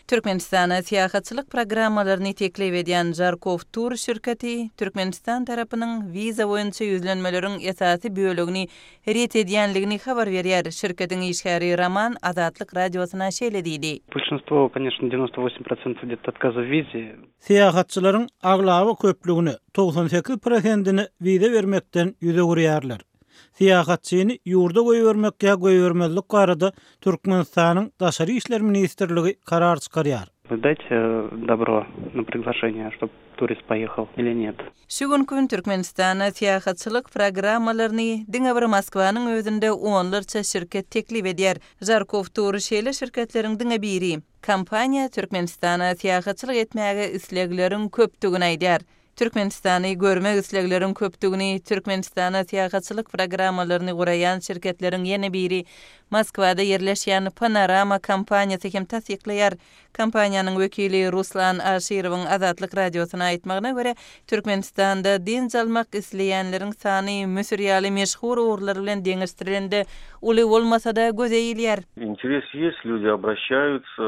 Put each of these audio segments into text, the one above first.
Türkmenistana syýahatçylyk programmalaryny teklip edýän Žarkow Tur şirketi Türkmenistan tarapynyň wiza boýunça ýüzlenmeleriň esasy bölegini ret edýänligini habar berýär. Şirketiň işgäri Roman Azatlyk Radiosyna şeýle diýdi. Bolşinstwo, koneçno, 98 protsentov gde-to otkaza w wize. Syýahatçylaryň aglaba köplügine, 98 prosentine wiza bermekden ýüz öwürýärler. Syýahatçyny ýurda goýbermek ýa goýbermezlik barada Türkmenistanyň Daşary işler ministrligi karar çykarýar. Вы дать dobro na priglaşeniýe, ştob turist poýehal ili net? Şu günki gün Türkmenistana syýahatçylyk programmalaryny diňe bir Moskwanyň özünde onlarça şirket teklip edýär. Žarkow Tur şeýle şirketleriň diňe biri. Kompaniýa Türkmenistana syýahatçylyk etmäge islegleriň köpdügini aýdýar. Türkmenistany görmek islegleriň köpdügini Türkmenistana syýahatçylyk programmalaryny guraýan şirketleriň ýene biri, Moskwada ýerleşýän Panorama kompaniýasy hem tassyklaýar. Kompaniýanyň wekili Ruslan Aşyrowyň Azatlyk Radiosyna aýtmagyna görä, Türkmenistanda dynç almak isleýänleriň sany Müsür ýaly meşhur ugurlar bilen deňeşdirilende uly bolmasa-da göze ilýär. Interes ýest, lýudi obraşaýutsa,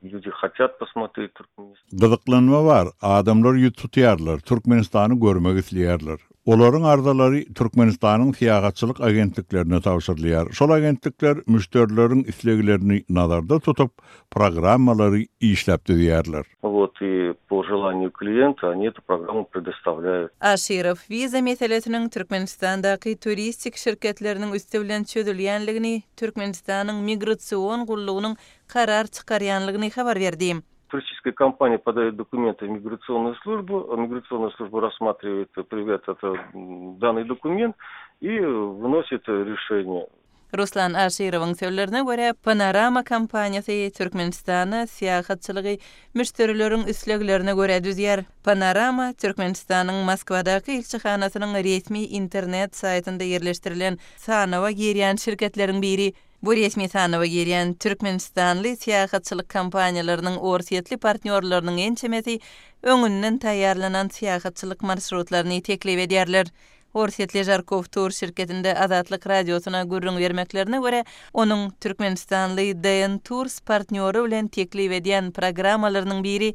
lýudi hatýat posmotret Turkmenistan. Gyzyklanma bar, adamlar ýüz tutýarlar, Türkmenistany görmek isleýärler. Olaryň arzalary Türkmenistanyň syýahatçylyk agentliklerine tabşyrylýar. Şol agentlikler müşderileriň isleglerini nazarda tutup, programmalary işläp düzýärler. Wot i po želaniýu kliýenta oni etu programmu predostavlýaýut. Aşyrow wiza meselesiniň Türkmenistandaky turistik şirketleriniň üsti bilen çözülýänligini Türkmenistanyň Migrasion gullugynyň karar çykarýanlygyny habar berdi. Туристическая компания подает документы в миграционную службу, миграционная служба рассматривает привет, это, данный документ и выносит решение. Ruslan Aşyrowyň sözlerine görä, Panorama kompaniýasy Türkmenistana syýahatçylygy müşderileriň isleglerine görä düzýär. Panorama Türkmenistanyň Moskwadaky ilçihanasynyň resmi internet saýtynda ýerleşdirilen sanawa girýän şirketleriň biri. Bu resmi sanawa girýän türkmenistanly syýahatçylyk kompaniýalarynyň orsýetli partnýorlarynyň ençemesi öňünden taýýarlanan syýahatçylyk marşrutlaryny teklip edýärler. Orsýetli Žarkow Tur şirketinde Azatlyk Radiosyna gürrüň bermeklerine görä, onuň türkmenistanly DN Tours partnýory bilen teklip edýän programmalarynyň biri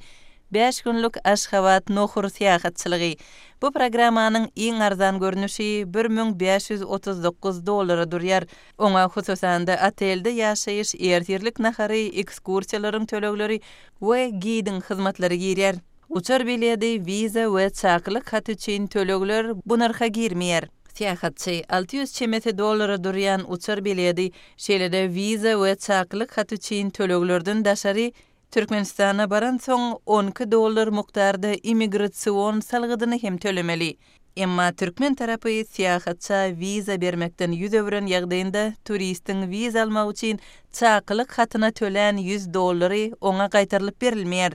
Bäş günlük Aşgabat-Nohur syýahatçylygy. Bu programmanyň iň arzan görnüşi 1539 dollara durýar. Oňa, hususan-da, otelde ýaşaýyş, ertirlik nahary, ekskursiýalaryň tölegleri we gidiň hyzmatlary girýär. Uçar biledi, wiza we çakylyk haty üçin tölegler bu nyrha girmeýär. Syýahatçy 600 çemesi dollara durýan uçar biledi, şeýle-de wiza we çakylyk haty üçin töleglerden daşary, Türkmenistana baransoň, on iki dollar mukdarda immigrasion salgydyny hem tölemeli. Emma türkmen tarapy syýahatça wiza bermekden ýüz öwren ýagdaýynda turistiň wiza almak üçin çakylyk hatyna tölän ýüz dollary oňa gaýtarylyp berilmeýär.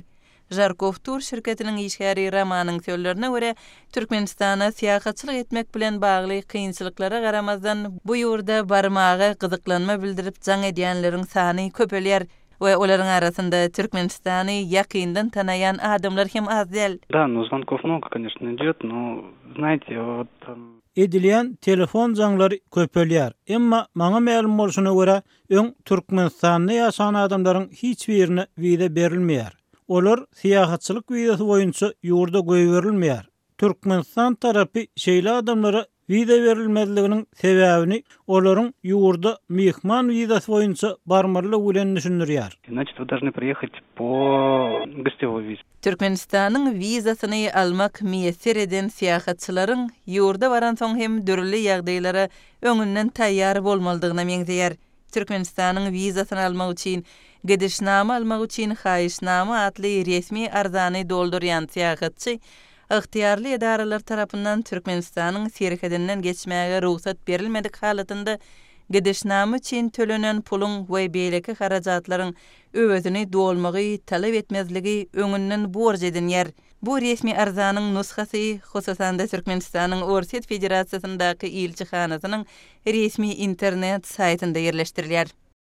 Žarkow Tur şirketiniň işgäri Romanyň sözlerine görä, Türkmenistana syýahatçylyk etmek bilen bagly kynçylyklara garamazdan, bu ýurda barmaga gyzyklanma bildirip jaň edýänleriň sany köpelýär. We olaryň arasynda Türkmenistany ýakyndan tanaýan adamlar hem az däl. Da, nu zvonkov mnogo, koneçno, idýot, no, znaýte, wot. Edilýän telefon jaňlary köpelýär. Emma maňa mälim bolşuna görä, öň Türkmenistanda ýaşan adamlaryň hiç birine wiza berilmeýär. Olar syýahatçylyk wizasy boýunça ýurda goýberilmeýär. Türkmenistan tarapy şeýle adamlara wiza berilmezliginiň sebäbini olaryň ýurda myhman wizasy boýunça barmalydygy bilen düşündirýär. Значит, вы должны приехать по гостевой визе. Türkmenistanyň wizasyny almak miýesser eden syýahatçylaryň ýurda baransoň hem dürli ýagdaýlara öňünden taýýar bolmalydygyna meňzeýär. Türkmenistanyň wizasyny almak üçin Gidişnama almak üçin haýyşnama atly resmi arzany doldurýan syýahatçy ygtyýarly edaralar tarapyndan Türkmenistanyň serhedinden geçmäge rugsat berilmedik halatynda gidişnama üçin tölenen puluň we beýleki harajatlaryň öwezini dolmagy talap etmezligi öňünden borç edinýär. Bu resmi arzanyň nusgasy, hususan-da, Türkmenistanyň Orsýet Federasiýasyndaky ilçihanasynyň resmi internet saýtynda ýerleşdirilýär.